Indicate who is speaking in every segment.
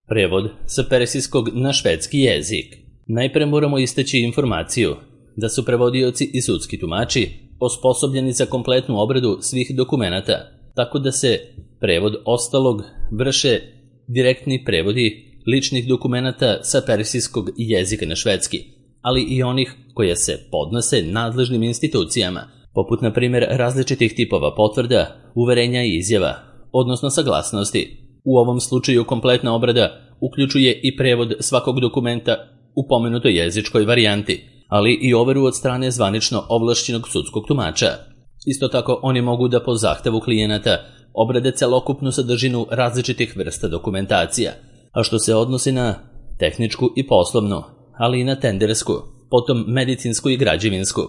Speaker 1: Prevod sa persijskog na švedski jezik. Najpre moramo istaći informaciju da su prevodioci i sudski tumači osposobljeni za kompletnu obradu svih dokumenata, tako da se prevod ostalog vrše direktni prevodi ličnih dokumenata sa persijskog jezika na švedski, ali i onih koje se podnose nadležnim institucijama, poput na primjer različitih tipova potvrda, uverenja i izjava, odnosno saglasnosti. U ovom slučaju kompletna obrada uključuje i prevod svakog dokumenta u pomenutoj jezičkoj varijanti, ali i overu od strane zvanično ovlašćenog sudskog tumača. Isto tako oni mogu da po zahtevu klijenata obrade celokupnu sadržinu različitih vrsta dokumentacija, a što se odnosi na tehničku i poslovnu, ali i na tendersku, potom medicinsku i građevinsku.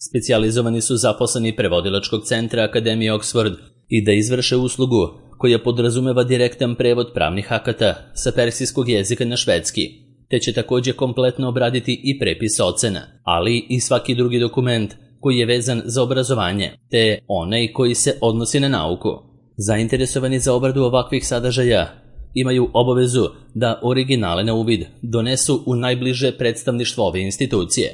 Speaker 1: Specijalizovani su zaposleni prevodilačkog centra Akademije Oxford i da izvrše uslugu koja podrazumeva direktan prevod pravnih akata sa persijskog jezika na švedski, te će također kompletno obraditi i prepis ocena, ali i svaki drugi dokument koji je vezan za obrazovanje, te onaj koji se odnosi na nauku. Zainteresovani za obradu ovakvih sadržaja imaju obavezu da originale na uvid donesu u najbliže predstavništvo ove institucije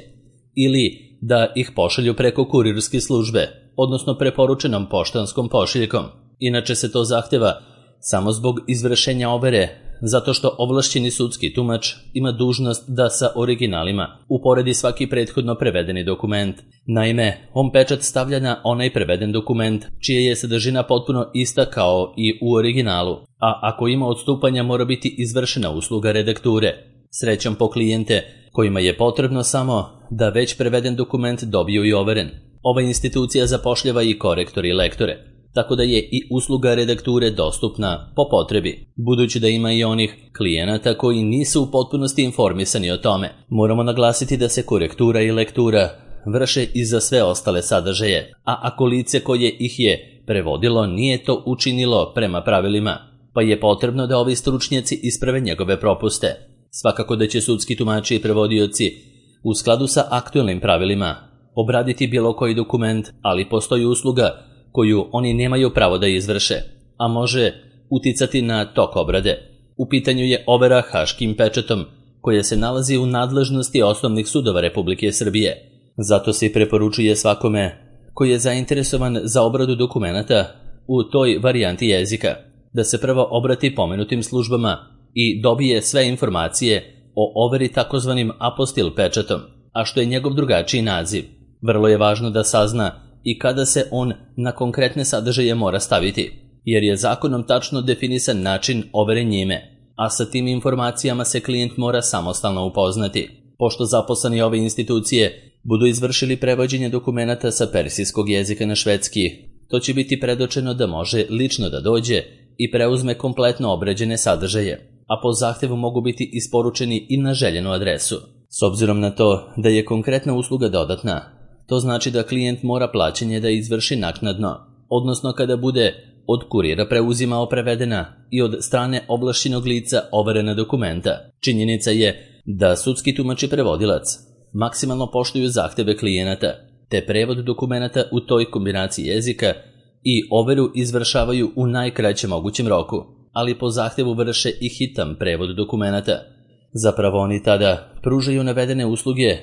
Speaker 1: ili da ih pošalju preko kurirske službe, odnosno preporučenom poštanskom pošiljkom. Inače se to zahteva samo zbog izvršenja overe, zato što ovlašćeni sudski tumač ima dužnost da sa originalima uporedi svaki prethodno prevedeni dokument. Naime, on pečat stavlja na onaj preveden dokument, čija je sadržina potpuno ista kao i u originalu, a ako ima odstupanja mora biti izvršena usluga redakture. Srećom po klijente kojima je potrebno samo da već preveden dokument dobiju i overen. Ova institucija zapošljava i korektore i lektore, tako da je i usluga redakture dostupna po potrebi. Budući da ima i onih klijenata koji nisu u potpunosti informisani o tome, moramo naglasiti da se korektura i lektura vrše i za sve ostale sadržaje, a ako lice koje ih je prevodilo nije to učinilo prema pravilima, pa je potrebno da ovi stručnjaci isprave njegove propuste. Svakako da će sudski tumači i prevodioci u skladu sa aktualnim pravilima obraditi bilo koji dokument, ali postoji usluga koju oni nemaju pravo da izvrše, a može uticati na tok obrade. U pitanju je overa haškim pečatom, koja se nalazi u nadležnosti osnovnih sudova Republike Srbije. Zato se i preporučuje svakome koji je zainteresovan za obradu dokumenata u toj varijanti jezika, da se prvo obrati pomenutim službama i dobije sve informacije o overi takozvanim apostil pečatom, a što je njegov drugačiji naziv. Vrlo je važno da sazna i kada se on na konkretne sadržaje mora staviti, jer je zakonom tačno definisan način overe njime, a sa tim informacijama se klijent mora samostalno upoznati. Pošto zaposleni ove institucije budu izvršili prevođenje dokumenata sa persijskog jezika na švedski, to će biti predočeno da može lično da dođe i preuzme kompletno obrađene sadržaje, a po zahtevu mogu biti isporučeni i na željenu adresu. S obzirom na to da je konkretna usluga dodatna, to znači da klijent mora plaćanje da izvrši naknadno, odnosno kada bude od kurira preuzimao prevedena i od strane ovlašćenog lica overena dokumenta. Činjenica je da sudski tumač i prevodilac maksimalno poštuju zahteve klijenata, te prevod dokumenata u toj kombinaciji jezika i overu izvršavaju u najkraćem mogućem roku, ali po zahtevu vrše i hitan prevod dokumenata. Zapravo oni tada pružaju navedene usluge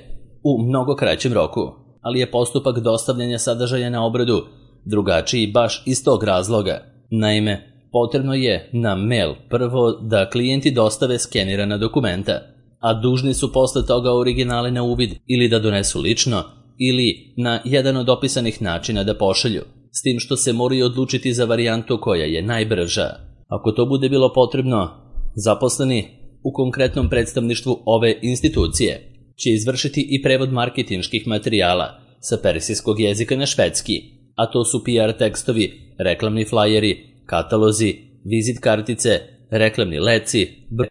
Speaker 1: u mnogo kraćem roku, ali je postupak dostavljanja sadržaja na obradu drugačiji baš iz tog razloga. Naime, potrebno je na mail prvo da klijenti dostave skenirana dokumenta, a dužni su posle toga originale na uvid ili da donesu lično ili na jedan od opisanih načina da pošalju, s tim što se moraju odlučiti za varijantu koja je najbrža. Ako to bude bilo potrebno, zaposleni u konkretnom predstavništvu ove institucije će izvršiti i prevod marketinških materijala sa persijskog jezika na švedski, a to su PR tekstovi, reklamni flajeri, katalozi, vizit kartice, reklamni leci,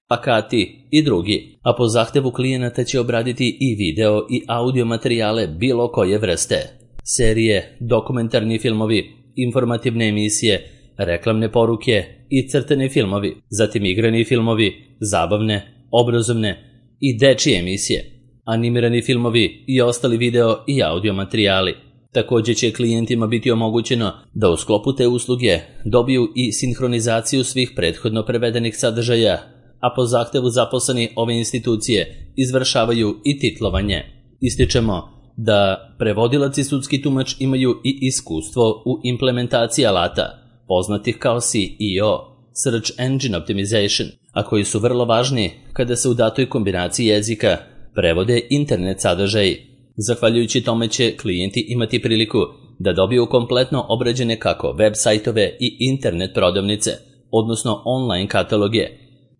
Speaker 1: plakati i drugi, a po zahtevu klijenata će obraditi i video i audio materijale bilo koje vrste. Serije, dokumentarni filmovi, informativne emisije, reklamne poruke i crteni filmovi, zatim igrani filmovi, zabavne, obrazovne i dečije emisije, animirani filmovi i ostali video i audio materijali. Također će klijentima biti omogućeno da u sklopu te usluge dobiju i sinhronizaciju svih prethodno prevedenih sadržaja a po zahtevu zaposleni ove institucije izvršavaju i titlovanje. Ističemo da prevodilac i sudski tumač imaju i iskustvo u implementaciji alata, poznatih kao SEO, Search Engine Optimization, a koji su vrlo važni kada se u datoj kombinaciji jezika prevode internet sadržaji. Zahvaljujući tome će klijenti imati priliku da dobiju kompletno obrađene kako web sajtove i internet prodavnice, odnosno online kataloge,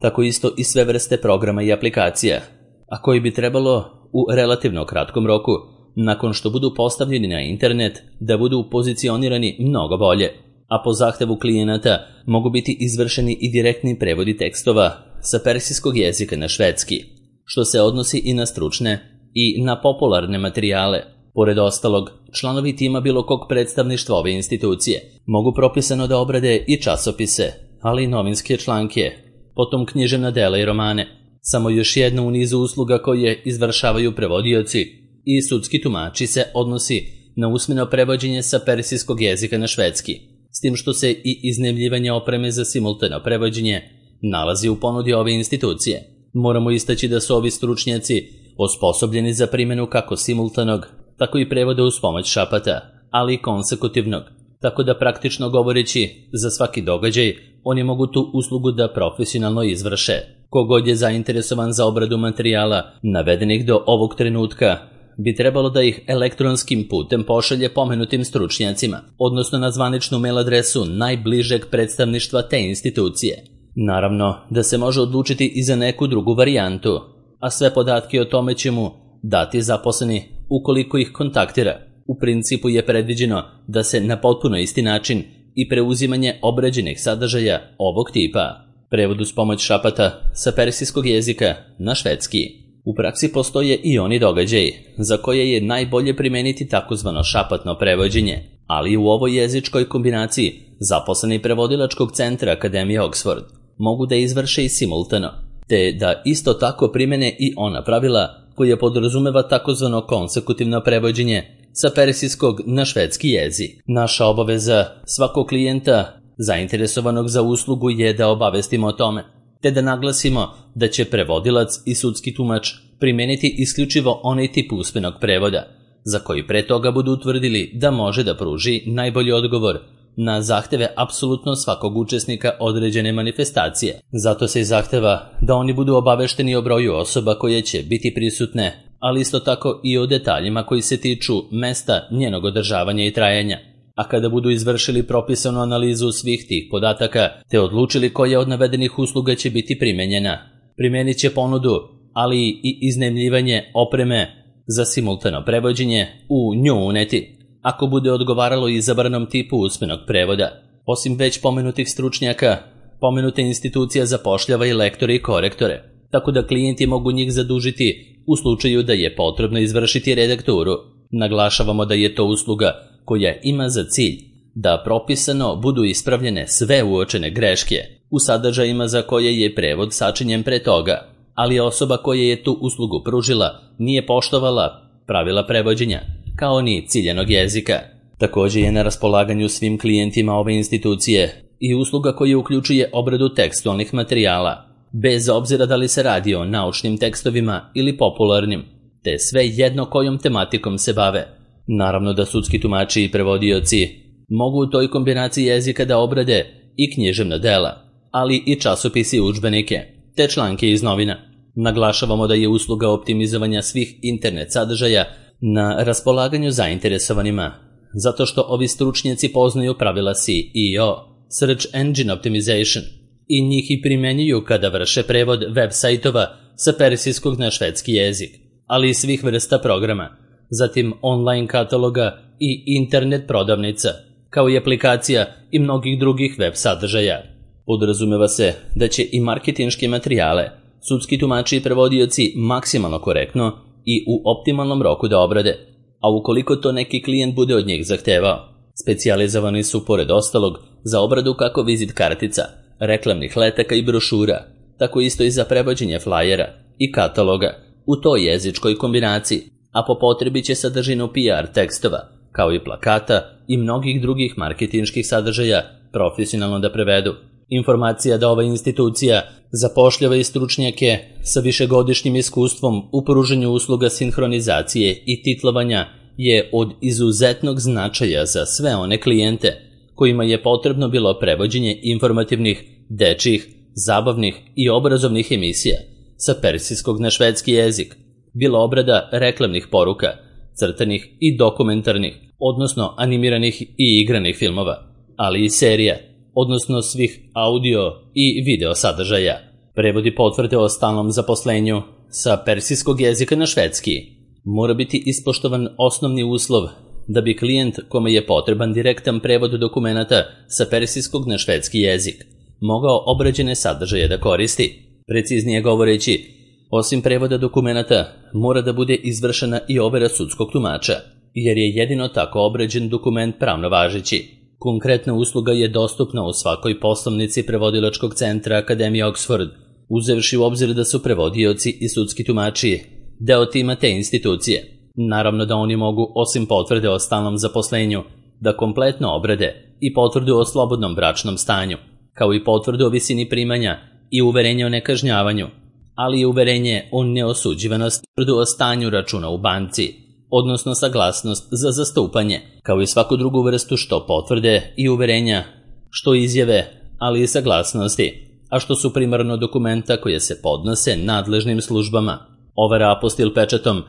Speaker 1: tako isto i sve vrste programa i aplikacija, a koji bi trebalo u relativno kratkom roku, nakon što budu postavljeni na internet, da budu pozicionirani mnogo bolje, a po zahtevu klijenata mogu biti izvršeni i direktni prevodi tekstova sa persijskog jezika na švedski, što se odnosi i na stručne i na popularne materijale. Pored ostalog, članovi tima bilo kog predstavništva ove institucije mogu propisano da obrade i časopise, ali i novinske članke, potom književna dela i romane. Samo još jedna u nizu usluga koje izvršavaju prevodioci i sudski tumači se odnosi na usmeno prevođenje sa persijskog jezika na švedski, s tim što se i iznajmljivanje opreme za simultano prevođenje nalazi u ponudi ove institucije. Moramo istaći da su ovi stručnjaci osposobljeni za primjenu kako simultanog, tako i prevoda uz pomoć šapata, ali i konsekutivnog, tako da praktično govoreći za svaki događaj oni mogu tu uslugu da profesionalno izvrše. Kogod je zainteresovan za obradu materijala navedenih do ovog trenutka bi trebalo da ih elektronskim putem pošalje pomenutim stručnjacima, odnosno na zvaničnu mail adresu najbližeg predstavništva te institucije. Naravno da se može odlučiti i za neku drugu varijantu, a sve podatke o tome će mu dati zaposleni ukoliko ih kontaktira. U principu je predviđeno da se na potpuno isti način i preuzimanje obrađenih sadržaja ovog tipa, prevod uz pomoć šapata sa persijskog jezika na švedski. U praksi postoje i oni događaji za koje je najbolje primeniti takozvano šapatno prevođenje, ali u ovoj jezičkoj kombinaciji zaposleni prevodilačkog centra Akademije Oxford mogu da izvrše i simultano, te da isto tako primene i ona pravila koje podrazumeva takozvano konsekutivno prevođenje sa persijskog na švedski jezik. Naša obaveza svakog klijenta zainteresovanog za uslugu je da obavestimo o tome, te da naglasimo da će prevodilac i sudski tumač primeniti isključivo onaj tip usmenog prevoda, za koji pre toga budu utvrdili da može da pruži najbolji odgovor na zahteve apsolutno svakog učesnika određene manifestacije. Zato se i zahteva da oni budu obavešteni o broju osoba koje će biti prisutne, ali isto tako i o detaljima koji se tiču mesta njenog održavanja i trajanja. A kada budu izvršili propisanu analizu svih tih podataka te odlučili koja od navedenih usluga će biti primenjena, primenit će ponudu, ali i iznajmljivanje opreme za simultano prevođenje u nju uneti, ako bude odgovaralo izabranom tipu usmenog prevoda. Osim već pomenutih stručnjaka, pomenuta institucija zapošljava i lektore i korektore, tako da klijenti mogu njih zadužiti u slučaju da je potrebno izvršiti redakturu. Naglašavamo da je to usluga koja ima za cilj da propisano budu ispravljene sve uočene greške u sadržajima za koje je prevod sačinjen pre toga, ali osoba koja je tu uslugu pružila nije poštovala pravila prevođenja, kao ni ciljanog jezika. Također je na raspolaganju svim klijentima ove institucije i usluga koja uključuje obradu tekstualnih materijala, bez obzira da li se radi o naučnim tekstovima ili popularnim, te sve jedno kojom tematikom se bave. Naravno da sudski tumači i prevodioci mogu u toj kombinaciji jezika da obrade i književna dela, ali i časopisi i udžbenike, te članke iz novina. Naglašavamo da je usluga optimizovanja svih internet sadržaja na raspolaganju zainteresovanima, zato što ovi stručnjaci poznaju pravila SEO, Search Engine Optimization, i njih i primenjuju kada vrše prevod web sajtova sa persijskog na švedski jezik, ali i svih vrsta programa, zatim online kataloga i internet prodavnica, kao i aplikacija i mnogih drugih web sadržaja. Podrazumeva se da će i marketinške materijale sudski tumači i prevodioci maksimalno korektno i u optimalnom roku da obrade, a ukoliko to neki klijent bude od njih zahtevao, specijalizovani su pored ostalog za obradu kako vizit kartica, reklamnih letaka i brošura, tako isto i za prevođenje flajera i kataloga u toj jezičkoj kombinaciji, a po potrebi će sadržinu PR tekstova, kao i plakata i mnogih drugih marketinških sadržaja profesionalno da prevedu. Informacija da ova institucija zapošljava i stručnjake sa višegodišnjim iskustvom u pružanju usluga sinhronizacije i titlovanja je od izuzetnog značaja za sve one klijente kojima je potrebno bilo prevođenje informativnih, dečjih, zabavnih i obrazovnih emisija sa persijskog na švedski jezik, bilo obrada reklamnih poruka, crtanih i dokumentarnih, odnosno animiranih i igranih filmova, ali i serija, odnosno svih audio i video sadržaja. Prevodi potvrde o stalnom zaposlenju sa persijskog jezika na švedski. Mora biti ispoštovan osnovni uslov da bi klijent kome je potreban direktan prevod dokumenata sa persijskog na švedski jezik mogao obrađene sadržaje da koristi. Preciznije govoreći, osim prevoda dokumenata, mora da bude izvršena i overa sudskog tumača, jer je jedino tako obrađen dokument pravno važeći. Konkretna usluga je dostupna u svakoj poslovnici prevodilačkog centra Akademije Oxford, uzevši u obzir da su prevodioci i sudski tumači deo tima te institucije. Naravno da oni mogu, osim potvrde o stalnom zaposlenju, da kompletno obrade i potvrdu o slobodnom bračnom stanju, kao i potvrdu o visini primanja i uverenje o nekažnjavanju, ali i uverenje o neosuđivanosti, potvrdu o stanju računa u banci, odnosno saglasnost za zastupanje, kao i svaku drugu vrstu što potvrde i uverenja, što izjave, ali i saglasnosti, a što su primarno dokumenta koje se podnose nadležnim službama. Overa apostil pečatom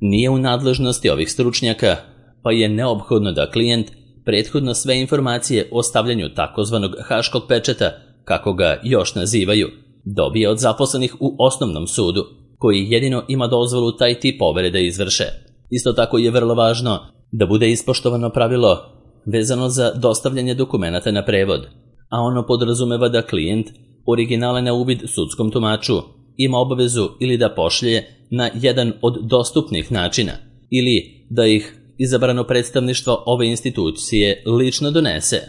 Speaker 1: nije u nadležnosti ovih stručnjaka, pa je neophodno da klijent prethodno sve informacije o stavljanju takozvanog haškog pečata, kako ga još nazivaju, dobije od zaposlenih u osnovnom sudu, koji jedino ima dozvolu taj tip overe da izvrše. Isto tako je vrlo važno da bude ispoštovano pravilo vezano za dostavljanje dokumenata na prevod, a ono podrazumeva da klijent originale na uvid sudskom tumaču ima obavezu ili da pošlje na jedan od dostupnih načina, ili da ih izabrano predstavništvo ove institucije lično donese.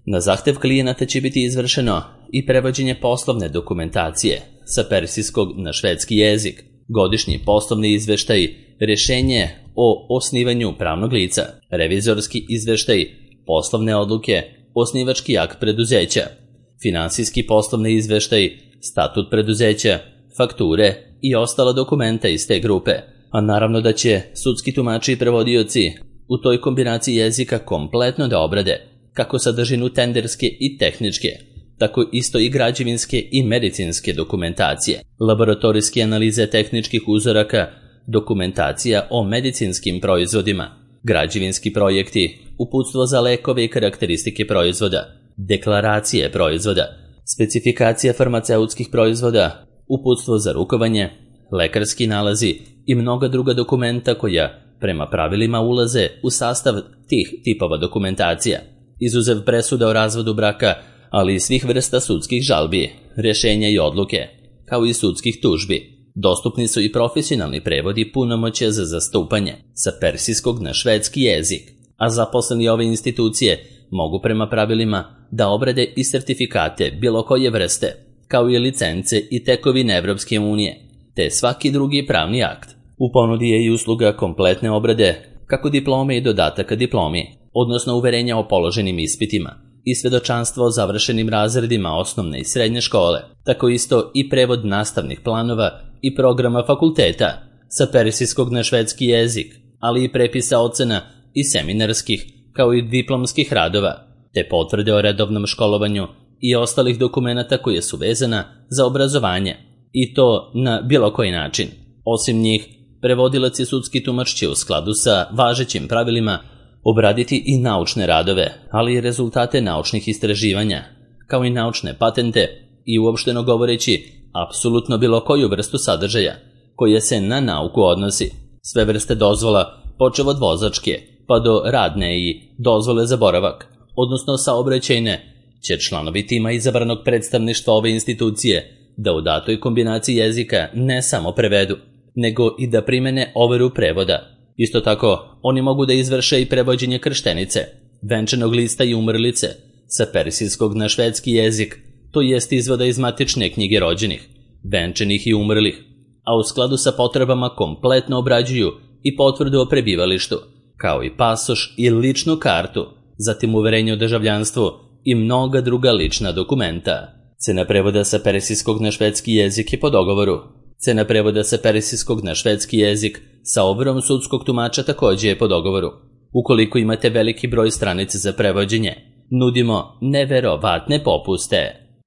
Speaker 1: Na zahtev klijenata će biti izvršeno i prevođenje poslovne dokumentacije sa persijskog na švedski jezik, godišnji poslovni izveštaj, rješenje o osnivanju pravnog lica, revizorski izveštaj, poslovne odluke, osnivački akt preduzeća, finansijski poslovni izveštaj, statut preduzeća, fakture i ostala dokumenta iz te grupe. A naravno da će sudski tumači i prevodioci u toj kombinaciji jezika kompletno da obrade kako sadržinu tenderske i tehničke, tako isto i građevinske i medicinske dokumentacije, laboratorijske analize tehničkih uzoraka, dokumentacija o medicinskim proizvodima, građevinski projekti, uputstvo za lekove i karakteristike proizvoda, deklaracije proizvoda, specifikacija farmaceutskih proizvoda, uputstvo za rukovanje, lekarski nalazi i mnoga druga dokumenta koja prema pravilima ulaze u sastav tih tipova dokumentacija, izuzev presuda o razvodu braka, ali i svih vrsta sudskih žalbi, rješenja i odluke, kao i sudskih tužbi. Dostupni su i profesionalni prevodi punomoćja za zastupanje sa persijskog na švedski jezik, a zaposleni ove institucije mogu prema pravilima da obrade i sertifikate bilo koje vrste, kao i licence i tekovine Evropske unije, te svaki drugi pravni akt. U ponudi je i usluga kompletne obrade, kako diplome i dodataka diplomi, odnosno uverenja o položenim ispitima i svedočanstvo o završenim razredima osnovne i srednje škole, tako isto i prevod nastavnih planova i programa fakulteta sa persijskog na švedski jezik, ali i prepisa ocena i seminarskih, kao i diplomskih radova, te potvrde o redovnom školovanju i ostalih dokumenata koje su vezana za obrazovanje, i to na bilo koji način. Osim njih, prevodilac i sudski tumač će u skladu sa važećim pravilima obraditi i naučne radove, ali i rezultate naučnih istraživanja, kao i naučne patente i uopšteno govoreći apsolutno bilo koju vrstu sadržaja koja se na nauku odnosi. Sve vrste dozvola, počev od vozačke pa do radne i dozvole za boravak, odnosno saobraćajne, će članovi tima izabranog predstavništva ove institucije da u datoj kombinaciji jezika ne samo prevedu, nego i da primene overu prevoda. Isto tako, oni mogu da izvrše i prevođenje krštenice, venčanog lista i umrlice sa persijskog na švedski jezik, to jest izvoda iz matične knjige rođenih, venčanih i umrlih, a u skladu sa potrebama kompletno obrađuju i potvrdu o prebivalištu, kao i pasoš i ličnu kartu, zatim uverenje o državljanstvu i mnoga druga lična dokumenta. Cena prevoda sa persijskog na švedski jezik je po dogovoru. Cena prevoda sa persijskog na švedski jezik sa overom sudskog tumača također je po dogovoru. Ukoliko imate veliki broj stranica za prevođenje, nudimo neverovatne popuste.